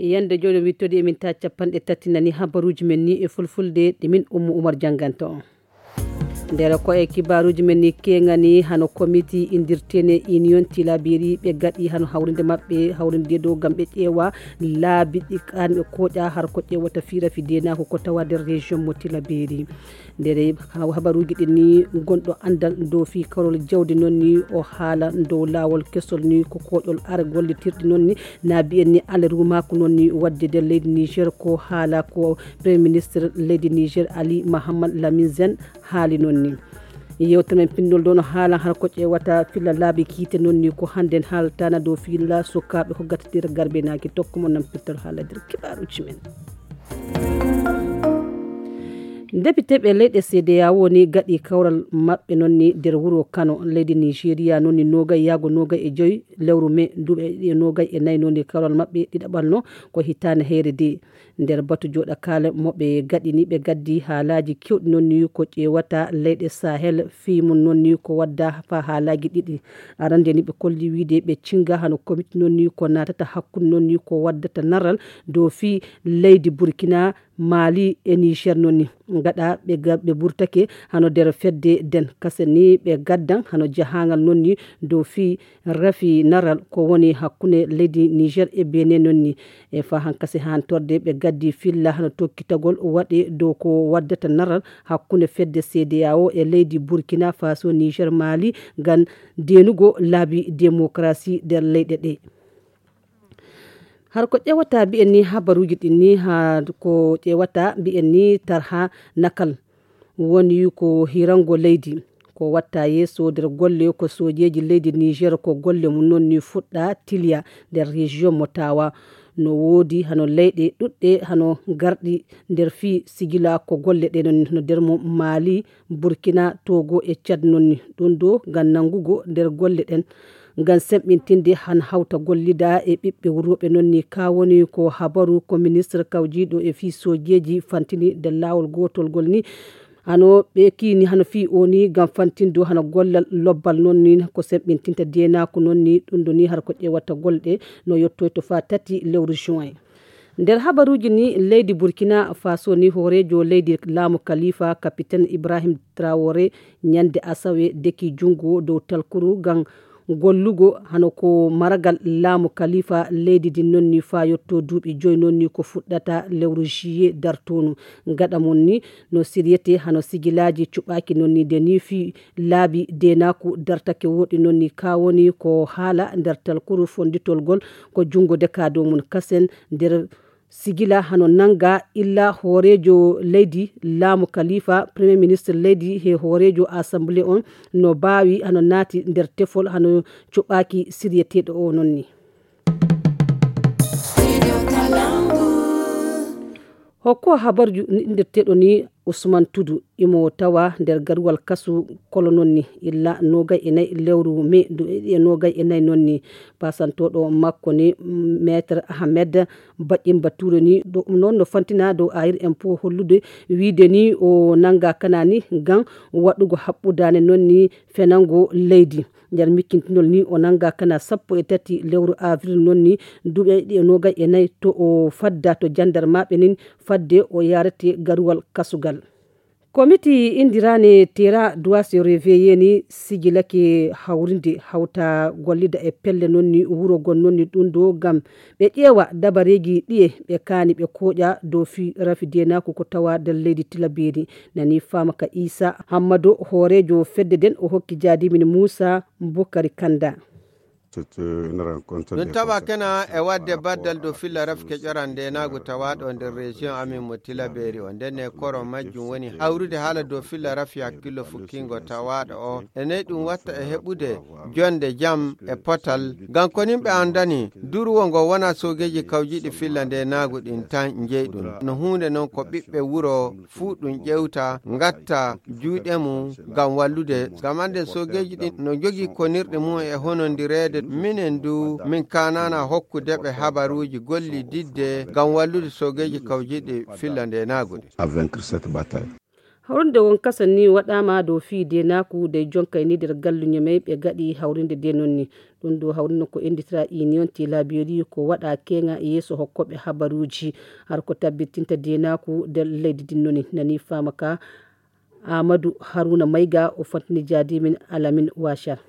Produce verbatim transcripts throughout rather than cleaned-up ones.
Yande jooni wittoɗi emin ta capanɗe tati nani habaruuji men ni e fulfulde ɗi min Ummu Umar jannganto on. Nder ko e kibaaruuji men ni keŋani hano komiti indirtene Union Tilaberi ɓe gaɗi hano hawrinde maɓɓe hawrinde dow ngam ɓe ƴeewa laabi ɗi kanɓe koƴa har ko ƴeewata fii rafi denaako ko tawa nder région mo Tilaberi. Nder habaruuji ɗin ni gonɗo anndal dow fii karol jawdi noon ni o haala dow laawol kesol ni ko koƴol are gollitirɗi noon ni na mbiyen ni alerumaku noon ni wadde nder leydi Niger ko haala ko premier ministre leydi Niger Ali Mahammad Lamin Zen haali noon ni. Yewtere men pinndol ɗo no haala har ko ƴeewata filla laabi kiite noon ni ko hannden haaltana dow filla sukaaɓe ko gatatir garbe naaki tokko mo nampirtol haala nder kibaaruuji men. Depiteeɓe leyɗe C D A O ni gaɗi kawral maɓɓe noon ni nder wuro Kano leydi Nigeria noon ni nogay yaago nogay e joyi lewru me duuɓi ɗiɗi e nogay e nayi noon ni kawral maɓɓe ɗiɗaɓal no ko hitaande heyre de. Nder batu jooɗakaale mo ɓe gaɗi ni ɓe gaddi haalaaji kewɗi noon ni ko ƴeewata leyɗe Sahel fii mum noon ni ko wadda faa haalaaji ɗiɗi. Arande ni ɓe kolli wiide ɓe cinga hano komiti noon ni ko naatata hakkunde noon ni ko waddata naral dow fii leydi Burkina Mali e Niger noon ni gaɗa ɓe ga- ɓe burtake hano nder fedde den kase ni ɓe gaddan hano jahangal noon ni dow fii rafi naral ko woni hakkunde leydi Niger e Benin noon ni. E fa hankasi hantorde ɓe gaddi filla hano tokkitagol waɗe dow ko waddata naral hakkunde fedde C D A O e leydi Burkina Faso, Niger, Mali ngam denugo laabi demokarasi nder leyɗe ɗe. Har ko ƴewata mbiyen ni habaruuji ɗin ni ha ko ƴewata mbiyen ni tarha nakal woni ko hirango leydi ko watta yeeso nder golle ko sojeeji leydi Niger ko golle mum noon ni fuɗɗa tiliya nder région mo tawa no woodi hano leyɗe ɗuɗɗe hano garɗi nder fii sigila ko golle ɗe noon no nder mo Mali, Burkina, Togo e Tchad noon ni ɗum ɗo ngam nanngugo nder golle ɗen ngam semɓintinde han hawta gollida e ɓiɓɓe wurooɓe noon ni ka woni ko habaru ko ministre kawjiiɗo e fii sojeeji fantini nder laawol gootol ngol ni hano ɓe kiini hano fii o ni ngam fantindo hano gollal lobbal noon ni ko semɓintinta deenaaku noon ni ɗum ɗo ni har ko ƴeewata golle ɗe no yottoyto faa tati lewru juin. Nder habaruuji ni leydi Burkina Faso ni hooreejo leydi laamu Kalifa kapiten Ibrahim Traore ñande asawe deki junngo dow talkuru ngam gollugo hano ko maragal laamu Kalifa leydi din noon ni faa yotto duuɓi joyi noon ni ko fuɗɗata lewru juillet dartonu. Gaɗa mum ni no siriyete hano sigilaaji cuɓaaki noon ni de ni fii laabi deenaaku dartake woɗi noon ni ka woni ko haala nder talkuru fonnditol ngol ko junngo deka dow mum kasen nder sigila hano nannga illa hooreejo leydi laamu Kalifa premier ministre leydi he hooreejo assemblée on no baawi hano naati nder tefol hano cuɓaaki siriyeteeɗo o noon ni. Hokko habarju indirteeɗo ni Usman Tudu imo tawa nder garuwal kasu kolo noon ni illa nogay e nayi lewru me duuɓi e nogay e nayi noon ni pasantooɗo makko ni maître Ahmed Baƴin Bature ni ɗum noon no fantina dow ayir en po hollude wiide ni o nannga kana ni ngam waɗugo haɓɓudaane noon ni fenango leydi. Nder mikkintinol ni o nannga kana sappo e tati lewru avril noon ni duuɓi ɗiɗi e nogay e nayi to o fadda to jandarmaɓe nin fadde o yarete garuwal kasugal. Komiti indirane tera doit se réveiller ni sigilake hawrinde hawta gollida e pelle noon ni wuro gon noon ni ɗum ɗo ngam ɓe ƴeewa dabareeji ɗiye ɓe kaani ɓe kooƴa dow fi rafi deenaaku ko tawa nder leydi Tilaberi. Nani faama ka Isa Hammado hooreejo fedde nden o hokki jaadimin Muusa Bukari Kanda. Ɗum tawa kena e waɗde baddal dow filla rafke ƴoran ndenaagu tawaaɗo nder région amin mo Tilaberi o. Nden e koro majjum woni hawrude haala dow filla rafi hakkillo fukkingo tawaaɗo o. E ney ɗum watta e heɓude jonde jam e potal. Ngam ko nimɓe anndani, duruwo ngo wona soogeeji kawjiiɗi filla ndenaagu ɗin tan njeyɗum. No huunde non ko ɓiɓɓe wuro fuu ɗum ƴewta, ngatta juuɗe mum ngam wallude. Ngam annden soogeeji ɗin no njogii konirɗe mum e honondireede. Minen du, min kaanaana hokkude ɓe habaruuji gollididde ngam wallude soogeeji kawjiiɗi filla ndenaagu ɗin. Hawrinde won kasa ni waɗaama dow fii deenaaku dey jonkay ni nder galluñe may ɓe gaɗi hawrinde dee noon ni. Ɗum ɗo hawrino ko ennditira union tilabiri ko waɗa keŋa yeeso hokkooɓe habaruuji. Har ko tabbitinta deenaaku nder leydi din noon ni nani faama ka. Amadou Haruna Mayga o fantini jaadimin Alamin Wachar.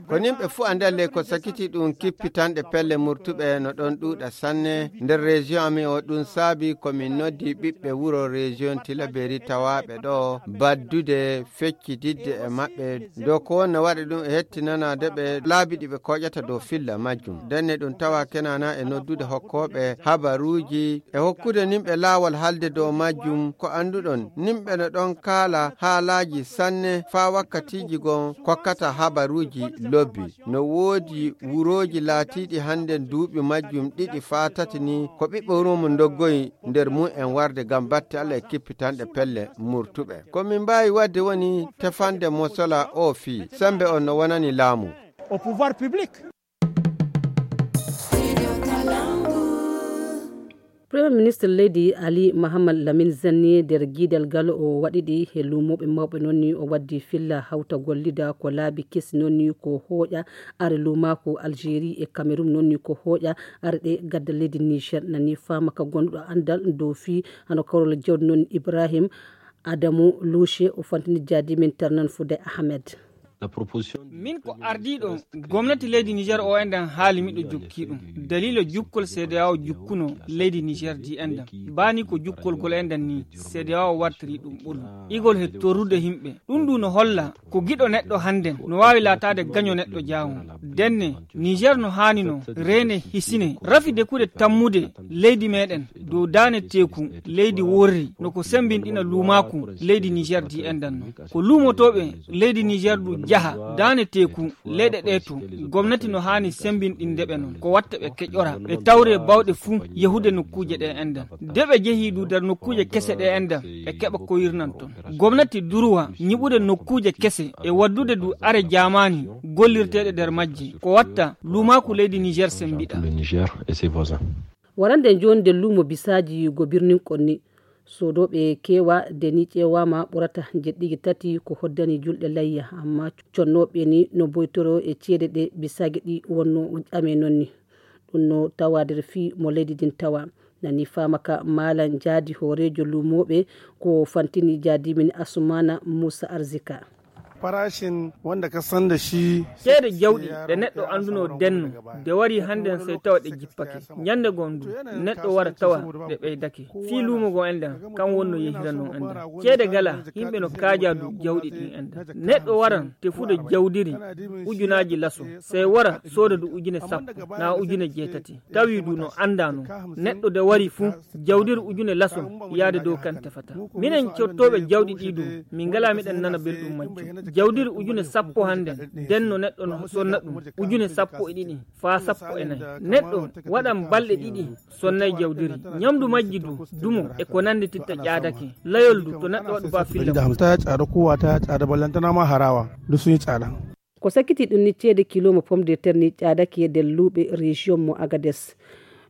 Ko nimɓe fuu anndal ley ko sakiti ɗum kippitanɗe pelle murtuɓe no ɗon ɗuuɗa sanne nder région amin o. Ɗum saabi ko min noddi ɓiɓɓe wuro région tilaberi tawaaɓe ɗo baddude feccididde e maɓɓe dow ko wonno waɗa ɗum e hettinanaade ɓe laabi ɗi ɓe koƴata dow filla majjum. Ndenne ɗum tawa kenana e noddude hokkooɓe habaruuji e hokkude nimɓe laawol haalde dow majjum. Ko annduɗon nimɓe no ɗon kaala haalaaji sanne faa wakkatiiji goo kokkata habaruuji lobbi. No woodi wurooji laatiiɗi hannden duuɓi majjum ɗiɗi faa tati ni ko ɓiɓɓe wuro mum ndoggoyi nder mum en warde ngam batte Alla e kippitanɗe pelle murtuɓe. Ko min mbaawi waɗde woni tefande mosola o fii semmbe on no wonani laamu. Premier ministre leydi Ali Mahamad Lamin Zanni nder giidal ngal o waɗiɗi e luumooɓe mawɓe noon ni o waddi filla hawta gollida ko laabi kesi noon ni ko hooƴa are luumaaku Algérie e Cameroun noon ni ko hooƴa are ɗe gadda leydi Niger nani faama ka gonduɗo anndal dow fii hano karol jawdi noon Ibrahim Adamu Lushe o fantini jaadimin Tarnan Fude Ahmed. Min ko ardiiɗo gomnati leydi Niger o enɗan haali miɗo jokki ɗum daliila jukkol cedeao jukkuno leydi Niger di enɗan baani ko jukkol gol enɗan ni cedeao wartiri ɗum ɓolu igol he torrude himɓe. Ɗum ɗu no holla ko giɗo neɗɗo hannden no waawi laataade gaño neɗɗo jaawol. Ndenne Niger no haani no reene hisine rafi dekude tammude leydi meɗen dow daane teeku leydi worri no ko sembinɗina luumaaku leydi Niger di enɗan no ko luumotooɓe leydi Niger du jaha daane teeku leyɗe ɗe to gomnati no haani sembinɗinde ɓe noon ko watta ɓe keƴora ɓe tawre bawɗe fuu yahude nokkuuje ɗe enɗan de ɓe jehi du nder nokkuuje kese ɗe enɗan ɓe keɓa ko yirnan toon. Gomnati durwa ñiɓude nokkuuje kese e waddude du are jaamaani gollirteeɗe nder majje ko watta luumaaku leydi Niger sembiɗa. Warande jooni nder luumo bisaaji go birnin konni soodooɓe keewa deni ƴeewaama ɓurata jeɗɗigi tati ko hoddani julɗe layya amma connooɓe ni no boytoro e ceede ɗe bisaage ɗi wonno ame noon ni. Ɗum no tawa nder fii mo leydi ndin tawa nani faama ka maalan jaadi hooreejo luumooɓe ko fantini jaadimin Asumana Muusa Arzika. Farashin wanda ka san da shi ceede jawɗi ɗe neɗɗo annduno denno de wari hannden sey tawa ɗe jippake. Ñannde goo ndu neɗɗo wara tawa ɗe ɓeydake fii luumo goo enɗan kan wonno yehira non enɗan ceede gala. Yimɓe no kaaja du jawɗi ɗin enɗan neɗɗo waran tefude jawdiri ujunaaji laso sey wara sooda du ujune sappo naa ujune jeetati tawi du no annda non. Neɗɗo de wari fuu jawdiri ujune laso yaade dow kan tefata. Minen cottooɓe jawɗi ɗi du min ngalaa miɗen nana belɗum majjum. Jawdiri ujune sappo hannden denno neɗɗo no sonna ɗum ujune sappo e ɗiɗi faa sappo e nayi. Neɗɗo waɗan balɗe ɗiɗi sonnay jawdiri. Ñamdu majji du dumo e ko nanndi titta ƴaadake. Layol du to neɗɗo waɗu ba filla. Hamsa ya tsada kowa ta ya tsada ballantana ma harawa duk sun yi tsada. Ko sakkiti ɗum ni ceede kilo mo pomme de terre ni ƴaadake e nder luuɓe région mo Agades.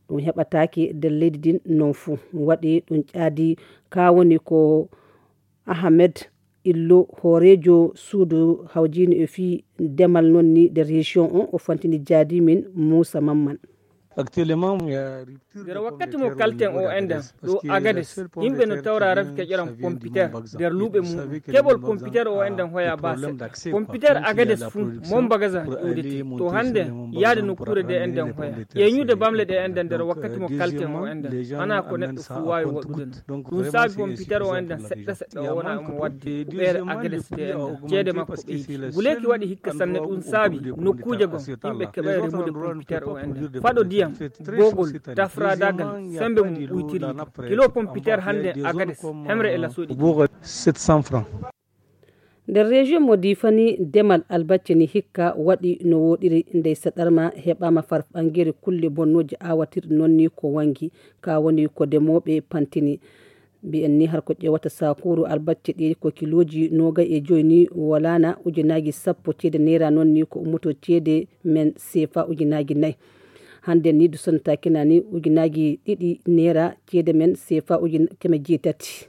Ɗum heɓataake nder leydi ndin non fuu waɗi ɗum ƴaadi ka woni ko Ahmed Illo hooreejo suudu hawjiino e fii demal non ni nder région on o fantini jaadimin Muusa Mamman. Nder wakkati mo kalten o enɗan ɗo Agades yimɓe no tawra rafi keƴoran pompiter nder luuɓe muɗum. Keɓol pompiter o enɗan hoya ba seɗɗa pompiter Agades fuu mombagaza ƴuwdete to hannden yaade nokkuure ɗe enɗan hoya ƴeeñude bamle ɗe enɗan nder wakkati mo kalten o enɗan hana ko neɗɗo fuu waawi waɗude non. Ɗum saabi pompiter o enɗan seɗɗa seɗɗa o wona omo waɗde huɓeere Agades ɗe enɗan ceede makko ɓeydi. Guleeki waɗi hikka sanne ɗum saabi nokkuuje goo yimɓe keɓay remude pompiter o enɗan faɗo ndiyam boogol tafradagal sembe mum ɓuytiri kilo pompiter hannde Agades hemre e lasoɗi. Nder région mo Difani demal albacce ni hikka waɗi no woɗiri ndey saɗarma heɓama farfangere kulle bonnooje awatirɗe noon ni ko wangi ka woni ko demooɓe pantini. Mbiyen ni har ko ƴeewata saakuru albacce ɗi ko kilooji noogay e joyi ni walaana ujunaaji sappo ceede neera noon ni ko ummoto ceede men seefa ujunaaji nayi. Hannde ni du sonnata kina ni ujunaaji ɗiɗi neera ceede men seefa ujun keme jeetati.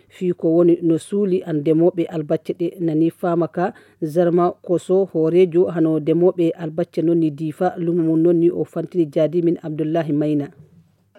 Fii ko woni no suuli an demooɓe albacce ɗe nani faama ka Zarma Koso hooreejo hano demooɓe albacce non ni Diifa lumo mum non ni o fantini jaadi min Abdullahi Mayna.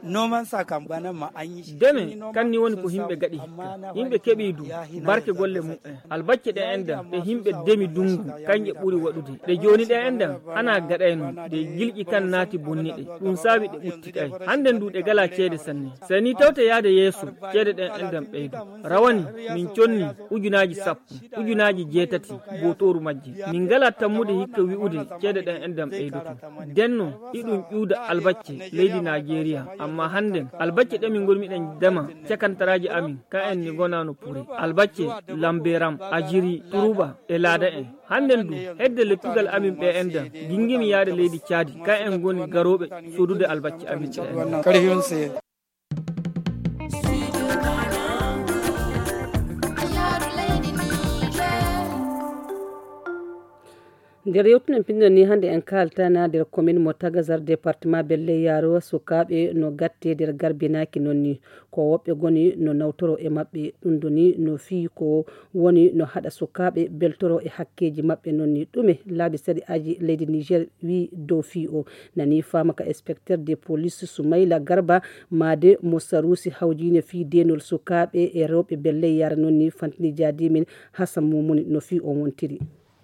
Noman sa kam bana ma an yi shi. Deme kan ni woni ko himɓe gaɗi hikka. Himɓe keɓi du barke golle mu'en. Albacce ɗe enɗan ɗe himɓe demi dungu kanje ɓuri waɗude. Ɗe jooni ɗe enɗan ana gaɗayno ɗe gilƴi kan naati bonni ɗe. Ɗum saawi ɗe ɓuttiɗay. Hande ndu ɗe gala ceede sanne. Sey ni tawte yaade yeeso ceede ɗen enɗan ɓeydo. Rawani min conni ujunaaji sappo, ujunaaji jeetati bootooru majji. Min ngala tammude hikka wi'ude ceede ɗen enɗan ɓeydoto. Denno iɗum ƴuuda albacce leydi Najeriya. Amma hannden albacce ɗe min ngoni miɗen dema cakantaraaji amin ka en ni ngonano pure. Albacce lamberam, ajiri, turuba e laada en. Hannden du hedde lettugal amin ɓe enɗan gingimi yaade leydi Caadi ka en ngoni garooɓe sodude albacce amin ɗe enɗan. Nder yewtude pinndol ni hannde en kaaltana nder komin mo Tagazar département Belle Yaro sukaaɓe no gatte nder garbinaaki non ni ko woɓɓe goni no nawtoro e maɓɓe ɗum ɗo ni no fii ko woni no haɗa sukaaɓe beltoro e hakkeeji maɓɓe non ni ɗume laabi sari'aaji leydi Niger wi dow fii o nani faama ka inspecteur de police Soumaila Garba maade mo sarusi hawjine fii denol sukaaɓe e rewɓe Belle Yaro non ni fantini jaadi min Hassan Mumuni no fii on wontiri.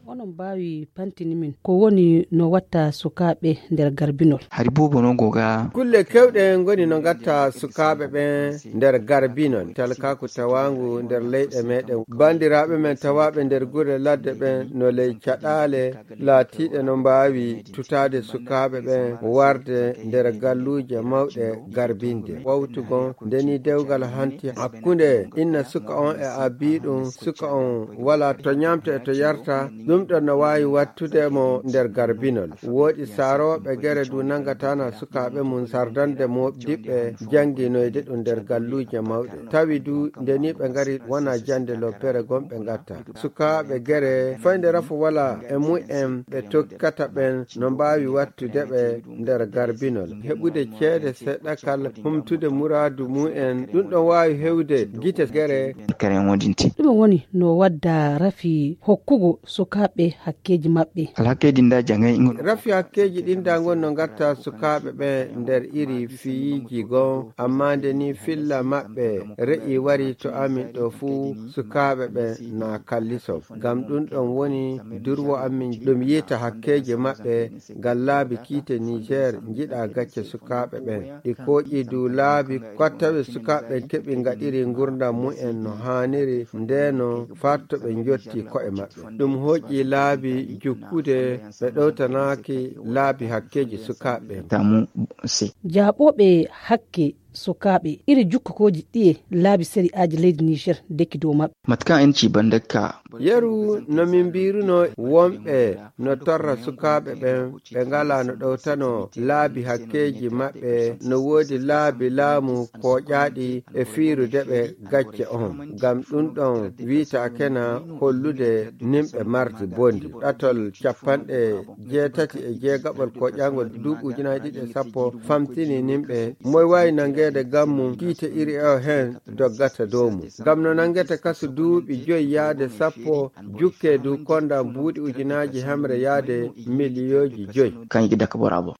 Onon mbaawi pantini min ko woni no watta sukaaɓe nder garbinol? Hari boobo no goga. Kulle kewɗe ngoni no ngatta sukaaɓe ɓen nder garbinol. Talkaaku tawaangu nder leyɗe meɗen. Bandiraaɓe men tawaaɓe nder gure ladde ɓen no ley caɗaale laatiiɗe no mbaawi tutaade sukaaɓe ɓen warde nder galluuje mawɗe garbinde. Wawtugon ndeni dewgal hanti hakkunde inna suka on e abiiɗum, suka on wala to ñamta e to yarta, ɗum ɗon no waawi wattude mo nder garbinol. Woodi saarooɓe gere du nangatana sukaaɓe mum sardande mo diɓɓe jannginoyde ɗum nder galluuje mawɗe. Tawi du ndeni ɓe ngari wona jannde loppere gon ɓe ngatta. Sukaaɓe gere fayde rafo wala e mumen ɓe tokkata ɓen no mbaawi wattude ɓe nder garbinol. Heɓude ceede seeɗa kal humtude muraadu mumen, ɗum ɗon waawi hewde gite gere. Kare wodinti. Ɗum woni no wadda rafi hokkugo sukaaɓe hakkeeji maɓɓe. Alhakkeeji nda jangay ngol. Rafi hakkeeji ɗin nda ngon no ngatta sukaaɓe ɓe nder iri fiyiiji goo, amma nde ni filla maɓɓe re'i wari to amin ɗo fuu, sukaaɓe ɓe na kalliso. Ngam ɗum ɗon woni durwo amin ɗum yiita hakkeeji maɓɓe ngam laabi kiite Niger njiɗa gacce sukaaɓe ɓen. Ɗi kooƴi du laabi ko tawi sukaaɓe keɓi ngaɗiri ngurndan mumen no haaniri nde no fatto ɓe njotti ko'e maɓɓe. Ɗum hooƴi laabi jukkude ɓe ɗowtanaaki laabi hakkeeji sukaaɓe. Tamu se. Jaaɓooɓe hakke sukaaɓe iri jukkukooji ɗiye laabi sari'aaji leydi Niger deki dow maɓɓe. Matka en ci bandakka. Yeru no min mbiruno wonɓe no torra sukaaɓe ɓen ɓe ngala no ɗowtano laabi hakkeeji maɓɓe no woodi laabi laamu kooƴaaɗi e fiirude ɓe gacce on. Ngam ɗum ɗon wiitaakena hollude nimɓe mardi bondi. Ɗatol capanɗe jeetati e jeegaɓol koƴaangol duuɓi ujunaaji ɗiɗi e sappo famtini nimɓe moy waawi nanngeede gammu kiite iri o heen doggata dow mum. Ngam no nanngete kaso duuɓi joyi yaade sappo jukkee du konda buuɗi ujunaaji hemre yaade miliyooji joyi. Kañƴi dakka borabo.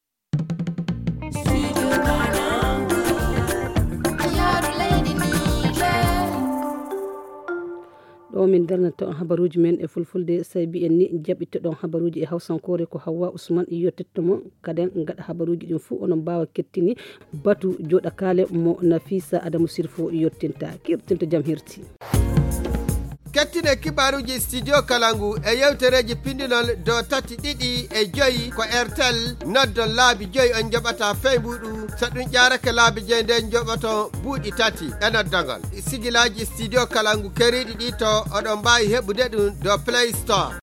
Ɗo min darnata on habaruuji men e fulfulde, sai mbiyen ni jaɓɓitoɗon habaruuji e hawsankoore ko Hawwa Usman yottetto mon. Kaden ngaɗa habaruuji ɗin fuu onon mbaawa kettini batu jooɗakaale mo Nafisa Adamu Sirfo yottinta. Kirtinta jam hirti. Kettine kibaaruuji Studio Kalangu e yewtereeji pindinol dow tati ɗiɗi e joyi ko Airtel. Noddon laabi joyi on njoɓata fey mbuuɗu. So ɗum ƴaarake laabi joyi nden njoɓoton buuɗi tati e noddangal. Sigilaaji Studio Kalangu keriiɗi ɗi to oɗon mbaawi heɓude ɗum dow Play Store.